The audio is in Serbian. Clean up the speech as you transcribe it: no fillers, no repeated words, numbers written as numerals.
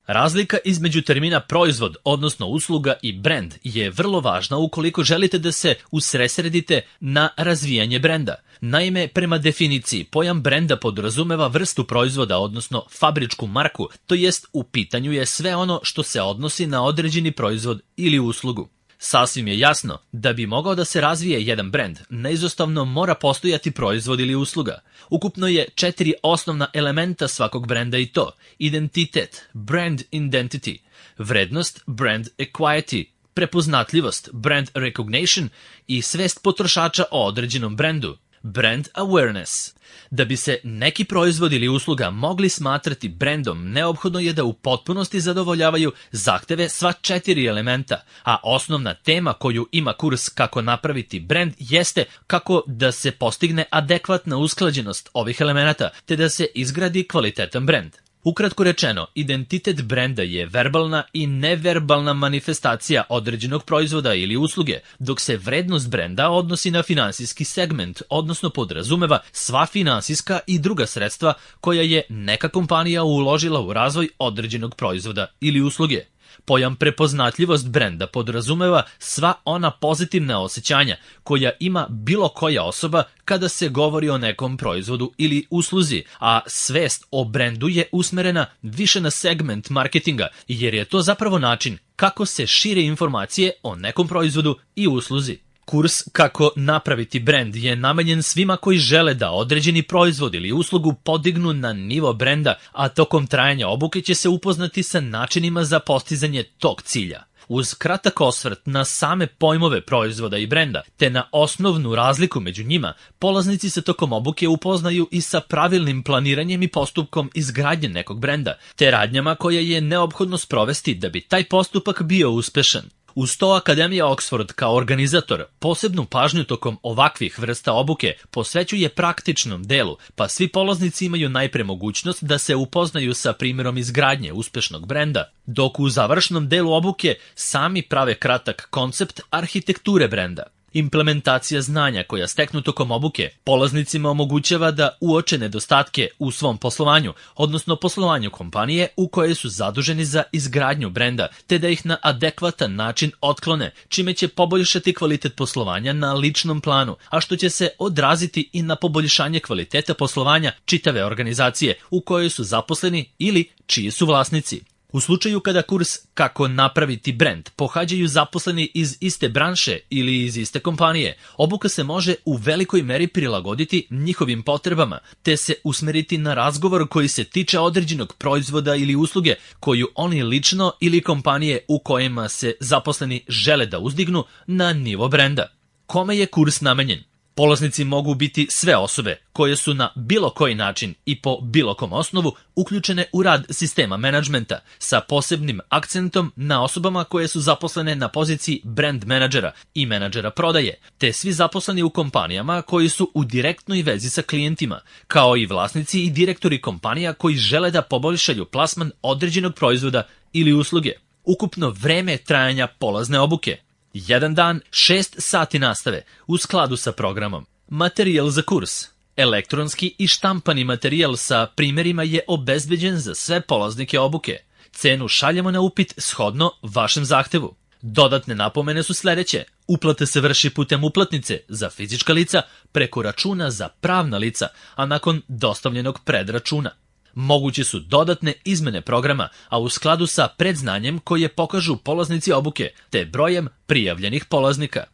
Razlika između termina proizvod, odnosno usluga i brend je vrlo važna ukoliko želite da se usredsredite na razvijanje brenda. Naime, prema definiciji, pojam brenda podrazumeva vrstu proizvoda, odnosno fabričku marku, to jest u pitanju je sve ono što se odnosi na određeni proizvod ili uslugu. Sasvim je jasno da bi mogao da se razvije jedan brend, neizostavno mora postojati proizvod ili usluga. Ukupno je 4 osnovna elementa svakog brenda i to: identitet, brand identity, vrednost, brand equity, prepoznatljivost, brand recognition i svest potrošača o određenom brendu, brand awareness. Da bi se neki proizvod ili usluga mogli smatrati brendom, neophodno je da u potpunosti zadovoljavaju zahteve sva 4 elementa, a osnovna tema koju ima kurs Kako napraviti brend jeste kako da se postigne adekvatna usklađenost ovih elemenata, te da se izgradi kvalitetan brend. Ukratko rečeno, identitet brenda je verbalna i neverbalna manifestacija određenog proizvoda ili usluge, dok se vrednost brenda odnosi na finansijski segment, odnosno podrazumeva sva finansijska i druga sredstva koja je neka kompanija uložila u razvoj određenog proizvoda ili usluge. Pojam prepoznatljivost brenda podrazumeva sva ona pozitivna osjećanja koja ima bilo koja osoba kada se govori o nekom proizvodu ili usluzi, a svest o brendu je usmerena više na segment marketinga, jer je to zapravo način kako se šire informacije o nekom proizvodu i usluzi. Kurs Kako napraviti brend je namenjen svima koji žele da određeni proizvod ili uslugu podignu na nivo brenda, a tokom trajanja obuke će se upoznati sa načinima za postizanje tog cilja. Uz kratak osvrt na same pojmove proizvoda i brenda, te na osnovnu razliku među njima, polaznici se tokom obuke upoznaju i sa pravilnim planiranjem i postupkom izgradnje nekog brenda, te radnjama koje je neophodno sprovesti da bi taj postupak bio uspešan. Uz to Akademija Oxford kao organizator posebnu pažnju tokom ovakvih vrsta obuke posvećuje praktičnom delu, pa svi polaznici imaju najpre mogućnost da se upoznaju sa primjerom izgradnje uspešnog brenda, dok u završnom delu obuke sami prave kratak koncept arhitekture brenda. Implementacija znanja koja steknu tokom obuke polaznicima omogućava da uoče nedostatke u svom poslovanju, odnosno poslovanju kompanije u kojoj su zaduženi za izgradnju brenda, te da ih na adekvatan način otklone, čime će poboljšati kvalitet poslovanja na ličnom planu, a što će se odraziti i na poboljšanje kvaliteta poslovanja čitave organizacije u kojoj su zaposleni ili čiji su vlasnici. U slučaju kada kurs Kako napraviti brend pohađaju zaposleni iz iste branše ili iz iste kompanije, obuka se može u velikoj meri prilagoditi njihovim potrebama, te se usmeriti na razgovor koji se tiče određenog proizvoda ili usluge koju oni lično ili kompanije u kojima se zaposleni žele da uzdignu na nivo brenda. Kome je kurs namenjen? Polaznici mogu biti sve osobe koje su na bilo koji način i po bilo kom osnovu uključene u rad sistema menadžmenta, sa posebnim akcentom na osobama koje su zaposlene na poziciji brand menadžera i menadžera prodaje, te svi zaposleni u kompanijama koji su u direktnoj vezi sa klijentima, kao i vlasnici i direktori kompanija koji žele da poboljšaju plasman određenog proizvoda ili usluge. Ukupno vreme trajanja polazne obuke: 1 dan, 6 sati nastave u skladu sa programom. Materijal za kurs: elektronski i štampani materijal sa primjerima je obezbeđen za sve polaznike obuke. Cenu šaljemo na upit shodno vašem zahtevu. Dodatne napomene su sledeće: uplata se vrši putem uplatnice za fizička lica preko računa za pravna lica, a nakon dostavljenog predračuna. Moguće su dodatne izmene programa, a u skladu sa predznanjem koje pokažu polaznici obuke, te brojem prijavljenih polaznika.